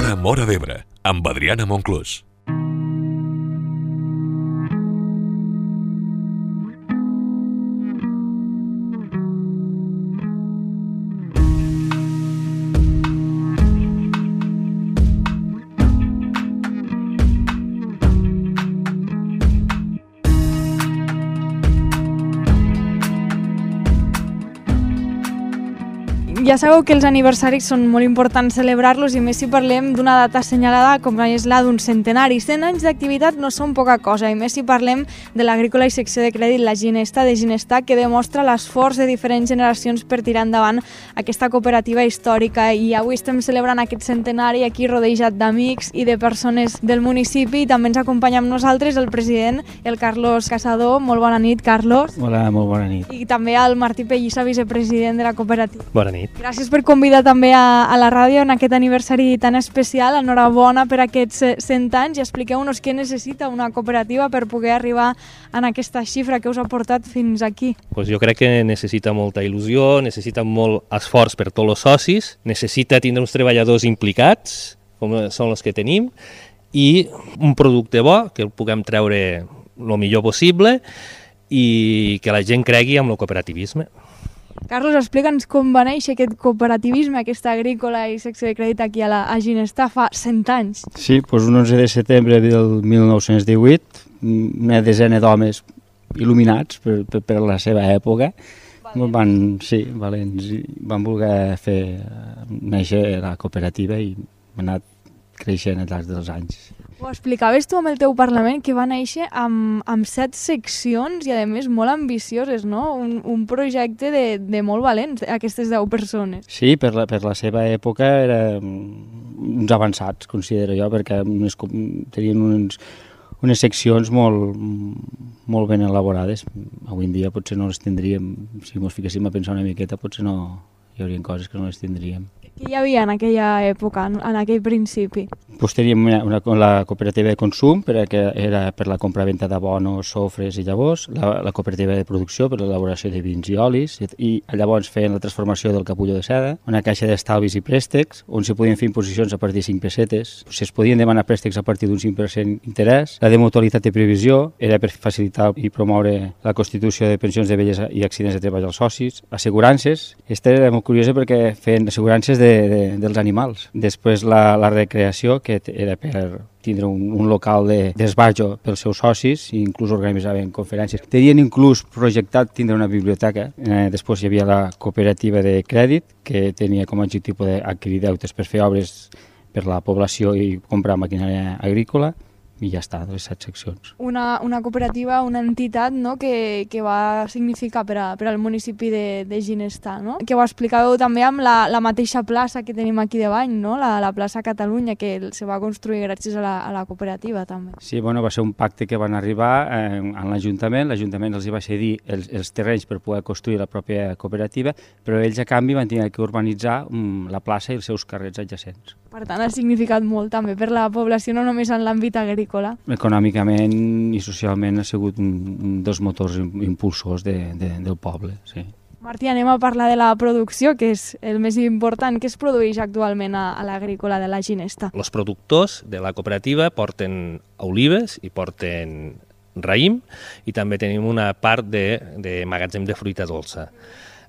L'Hora Móra d'Ebre, amb Adriana Monclús. Ja sabeu que els aniversaris són molt importants celebrar-los i més si parlem d'una data assenyalada com és la d'un centenari. 100 anys d'activitat no són poca cosa i més si parlem de l'agrícola i secció de crèdit La Ginesta de Ginestar, que demostra l'esforç de diferents generacions per tirar endavant aquesta cooperativa històrica, i avui estem celebrant aquest centenari aquí rodejat d'amics i de persones del municipi, i també ens acompanya amb nosaltres el president, el Carlos Casador. Molt bona nit, Carlos. Hola, molt bona nit. I també el Martí Pellissa, vicepresident de la cooperativa. Bona nit. Gràcies per convidar també a la ràdio en aquest aniversari tan especial. Enhorabona per aquests 100 anys i expliqueu-nos què necessita una cooperativa per poder arribar en aquesta xifra que us ha portat fins aquí. Pues jo crec que necessita molta il·lusió, necessita molt esforç per tots els socis, necessita tindre uns treballadors implicats, com són els que tenim, i un producte bo, que el puguem treure el millor possible i que la gent cregui en el cooperativisme. Carlos, explica'ns com va néixer aquest cooperativisme, aquesta agrícola i secció de crèdit aquí a Ginestar fa 100 anys. Sí, doncs un 11 de setembre del 1918, una desena d'homes il·luminats per la seva època, valents, van voler fer néixer la cooperativa i ha anat creixent al llarg dels anys. Ho explicaves tu amb el teu Parlament, que va néixer amb 7 seccions i a més molt ambicioses, no? Un projecte de molt valents, aquestes 10 persones. Sí, per la seva època eren uns avançats, considero jo, perquè tenien unes seccions molt ben elaborades. Avui en dia potser no les tindríem, si ens fiquéssim a pensar una miqueta, potser no hi haurien coses que no les tindríem. Què hi havia en aquella època, en aquell principi? Doncs teníem la cooperativa de consum, que era per la compra-venta d'abonos, sofres i llavors, la cooperativa de producció per l'elaboració de vins i olis, i llavors feien la transformació del capullo de seda, una caixa d'estalvis i préstecs, on se podien fer imposicions a partir de 5 pessetes, es podien demanar préstecs a partir d'un 5% interès, la de mutualitat de previsió era per facilitar i promoure la constitució de pensions de vellesa i accidents de treball als socis, assegurances, aquesta era molt curiosa perquè feien assegurances dels animals. Després la recreació, que era per tindre un local d'esbarjo pels seus socis i inclús organitzaven conferències. Tenien inclús projectat tindre una biblioteca. Després hi havia la cooperativa de crèdit, que tenia com a objectiu poder adquirir deutes per fer obres per la població i comprar maquinària agrícola. I ja està, les 7 seccions. Una cooperativa, una entitat, no?, que va significar per al municipi de Ginestar, no? Que ho explicàveu també amb la mateixa plaça que tenim aquí davant, no?, la plaça Catalunya, que se va construir gràcies a la cooperativa també. Sí, va ser un pacte que van arribar a l'Ajuntament els hi va cedir els terrenys per poder construir la pròpia cooperativa, però ells a canvi van tenir que urbanitzar la plaça i els seus carrers adjacents. Per tant, ha significat molt també per la població, no només en l'àmbit agrícola. Econòmicament i socialment ha sigut un dels motors impulsors del poble, sí. Martí, anem a parlar de la producció, que és el més important. Què es produeix actualment a l'agrícola de la Ginestar? Els productors de la cooperativa porten olives i porten raïm, i també tenim una part de magatzem de fruita dolça.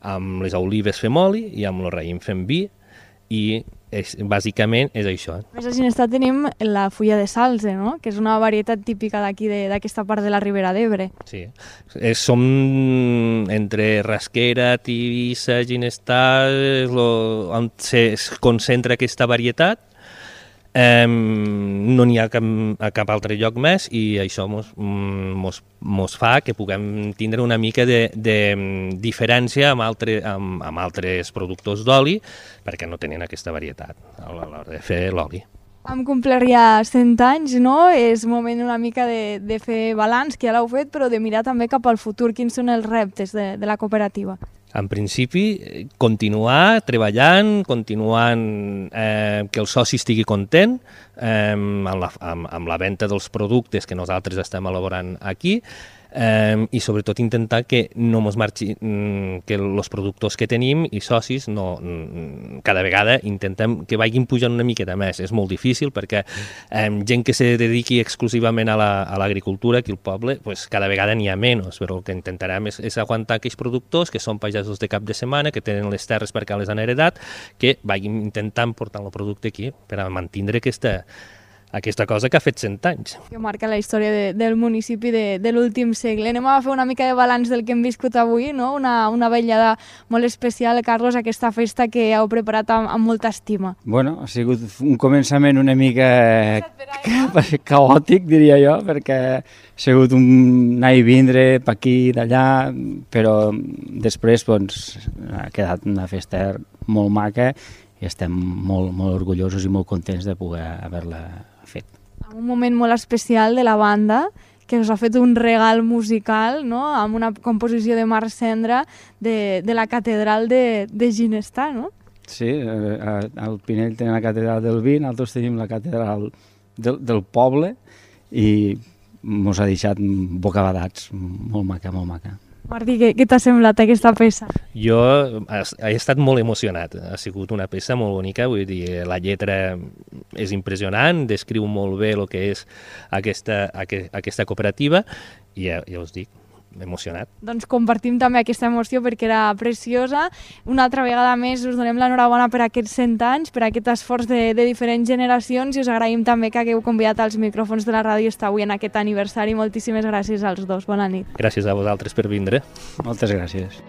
Amb les olives fem oli i amb el raïm fem vi, i bàsicament és això. A Ginestar tenim la fulla de salze, no?, que és una varietat típica d'aquí, d'aquesta part de la Ribera d'Ebre. Sí, som entre Rasquera, Tivissa, Ginestar, on es concentra aquesta varietat. No n'hi ha a cap altre lloc més, i això mos fa que puguem tindre una mica de diferència amb altres productors d'oli, perquè no tenen aquesta varietat a l'hora de fer l'oli. Hem complert ja 100 anys, no? És moment una mica de fer balanç, que ja l'heu fet, però de mirar també cap al futur. Quins són els reptes de la cooperativa? En principi, continuar treballant, continuant que el soci estigui content amb la venda dels productes que nosaltres estem elaborant aquí, i sobretot intentar que no mos marxi, que els productors que tenim i socis cada vegada intentem que vagin pujant una miqueta més. És molt difícil perquè gent que se dediqui exclusivament a l'agricultura aquí al poble, pues, cada vegada n'hi ha menys, però el que intentarem és aguantar aquells productors que són pagesos de cap de setmana, que tenen les terres perquè les han heredat, que vagin intentant portar el producte aquí per a mantenir aquesta cosa que ha fet 100 anys. Que marca la història del municipi de l'últim segle. Anem a fer una mica de balanç del que hem viscut avui, no? Una vetllada molt especial, Carlos, aquesta festa que heu preparat amb molta estima. Bueno, ha sigut un començament una mica caòtic, diria jo, perquè ha sigut un anar i vindre per aquí, d'allà, però després doncs, ha quedat una festa molt maca i estem molt, molt orgullosos i molt contents de poder haver-la fet. Un moment molt especial de la banda, que us ha fet un regal musical, no?, amb una composició de Marc Cendra de la catedral de Ginestar, no? Sí, al Pinell tenim la catedral del vi, nosaltres tenim la catedral del poble i mos ha deixat bocabadats, molt maca, molt maca. Martí, què t'ha semblat aquesta peça? Jo he estat molt emocionat, ha sigut una peça molt bonica, vull dir, la lletra és impressionant, descriu molt bé el que és aquesta cooperativa i ja us dic, emocionat. Doncs compartim també aquesta emoció perquè era preciosa. Una altra vegada més us donem l'enhorabona per aquests 100 anys, per aquest esforç de diferents generacions i us agraïm també que hagueu convidat als micròfons de la ràdio estar avui en aquest aniversari. Moltíssimes gràcies als dos. Bona nit. Gràcies a vosaltres per vindre. Moltes gràcies.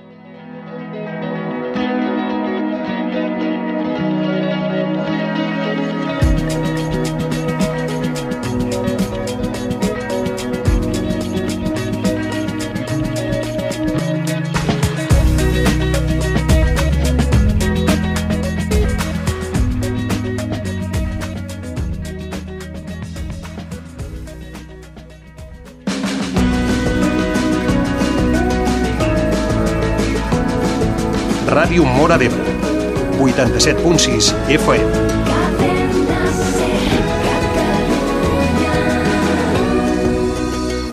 Ràdio Móra d'Ebre, 87.6 FM.